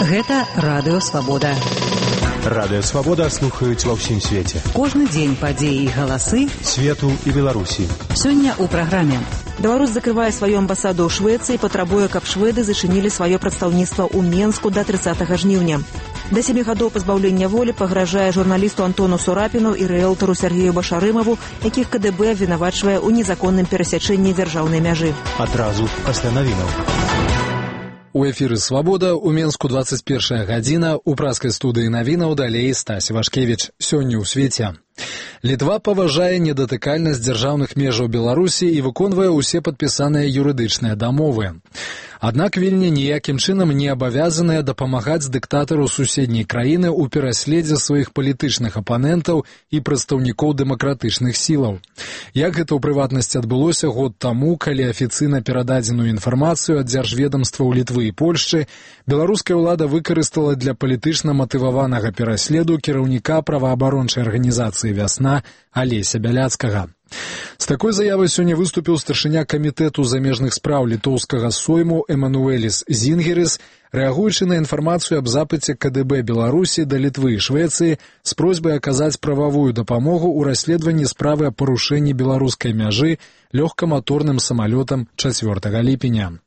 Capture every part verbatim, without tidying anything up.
Гэта Радыё Свабода. Радыё Свабода слухаюць ва ўсім свеце. Кожны дзень падзеі і галасы свету і Беларусі. Сёння ў праграме. Беларусь закрывае сваю амбасаду ў Швецыі і патрабуе, каб шведы зачынілі сваё прадстаўніцтва ў Менску да трыццатага жніўня. Да сямі гадоў пазбаўлення волі пагражае журналісту Антону Сурапіну і рыэлтару Сергею Башарымаву, якіх КДБ абвінавачвае ў незаконным перасячэнні дзяржаўнай мяжы. Адразу пасля навінаў. У эфіры «Свабода» у Менску двадцать першая гадзіна, у праскай студыі навінаў далей Стась Вашкевіч. Сёння ў свеце. Літва паважае недатыкальнасць дзяржаўных межаў Беларусі і выконвае ўсе падпісаныя юрыдычныя дамовы. Аднак Вільня ніякім чынам не абавязаная дапамагаць дыктатару суседняй краіны ў пераследзе сваіх палітычных апанентаў і прадстаўнікоў дэмакратычных сілаў. Як гэта ў прыватнасці адбылося год таму, калі афіцыйна перададзеную інфармацыю ад дзяржведамстваў Літвы і Польшчы беларуская ўлада выкарыстала для палітычна матываванага пераследу кіраўніка праваабарончай арганізацыі «Вясна» Алеся Бяляцкага. З такой заявай сёння выступіў старшыня камітэту замежных спраў літоўскага сойму Эмануэліс Зінгеріс, рэагуючы на інфармацыю аб запыце КДБ Беларусі да Літвы і Швецыі з просьбай аказаць прававую дапамогу ў расследаванні справы аб парушэнні беларускай мяжы лёгкаматорным самалётам чацвёртага ліпеня.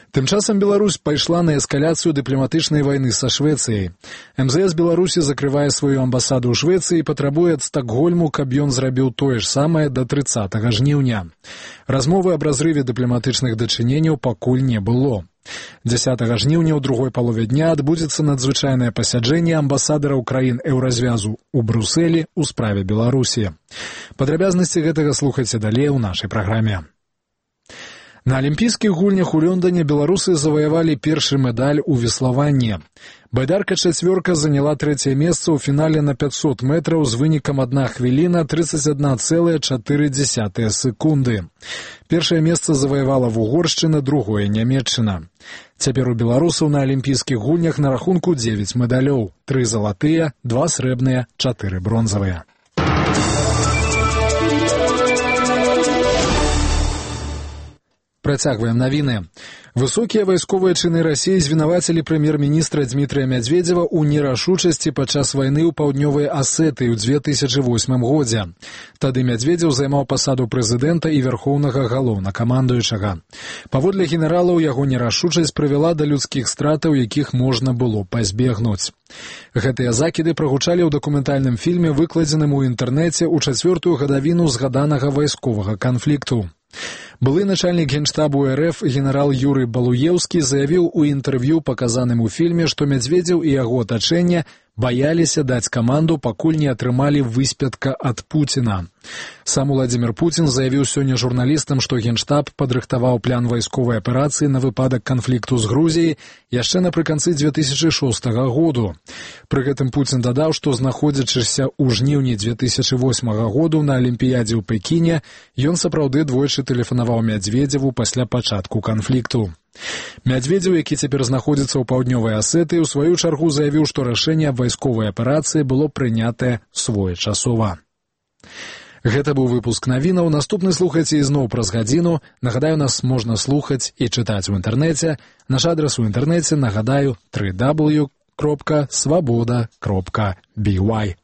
Тым часам Беларусь пайшла на эскаляцыю дыпламатычнай вайны са Швецыяй. эм зэ эс Беларусі закрывае сваю амбасаду ў Швецыі і патрабуе ад Стакгольму, каб ён зрабіў тое ж самае да трыццатага жніўня. Размовы аб разрыве дыпламатычных дачыненняў пакуль не было. дзясятага жніўня ў другой палове дня адбудзецца надзвычайнае пасяджэнне амбасадараў краін еўразвязу ў Брусэлі ў справе Беларусі. Падрабязнасці гэтага слухайце далей у нашай праграме. На алімпійскіх гульнях у Лондоне беларусы заваявалі першы медаль у веславанні. Байдарка-чацвёрка заняла трэцяе месца ў фінале на пятьсот метраў з вынікам адна хвіліна тридцать одна целая четыре десятых секунды. Першае месца заваявала Вугоршчына, другое Нямецчына. Цяпер у беларусаў на алімпійскіх гульнях на рахунку дзевяць медалёў, тры залатыя, два срэбныя, чатыры бронзавыя. Працягваем навіны. Высокія вайсковыя чыны Расіі звінавацілі прэм'ер-міністра Дмітрыя Мядзведзева ў нерашучасці падчас вайны ў паўднёвай Асетыі ў две тысячы восьмым годзе. Тады Мядзведзеў займаў пасаду прэзідэнта і вярхоўнага галоўнакамандуючага. Паводле генералаў, яго нерашучасць прывяла да людскіх стратаў, якіх можна было пазбегнуць. Гэтыя закіды прагучалі ў дакументальным фільме, выкладзеным у інтэрнэце ў чацвёртую гадавіну згаданага вайсковага канфлікту. Былы начальнік генштабу РФ генерал Юрый Балуеўскі заявіў у інтэрв'ю, паказаным у фільме, што Мядзведзеў і яго атачэнне баяліся даць каманду, пакуль не атрымалі выспятка ад Пуціна. Сам Уладзімір Пуцін заявіў сёння журналістам, што генштаб падрыхтаваў план вайсковай аперацыі на выпадак канфлікту з Грузіяй яшчэ напрыканцы две тысячы шостага году. Пры гэтым Пуцін дадаў, што знаходзячыся ў жніўні две тысячы восьмага году на Алімпіядзе ў Пекіне, ён сапраўды двойчы тэлефанаваў Мядзведзеву пасля пачатку канфлікту. Мядзведзеў, які цяпер знаходзіцца ў паўднёвай Асетыі, у сваю чаргу заявіў, што рашэнне аб вайсковай аперацыі было прынятае своечасова. Гэта быў выпуск навінаў. Наступны слухайце ізноў праз гадзіну. Нагадаю, нас можна слухаць і чытаць у інтэрнэце. Наш адрас у інтэрнэце, нагадаю, дабл ю дабл ю дабл ю крапка свабода крапка бі вай.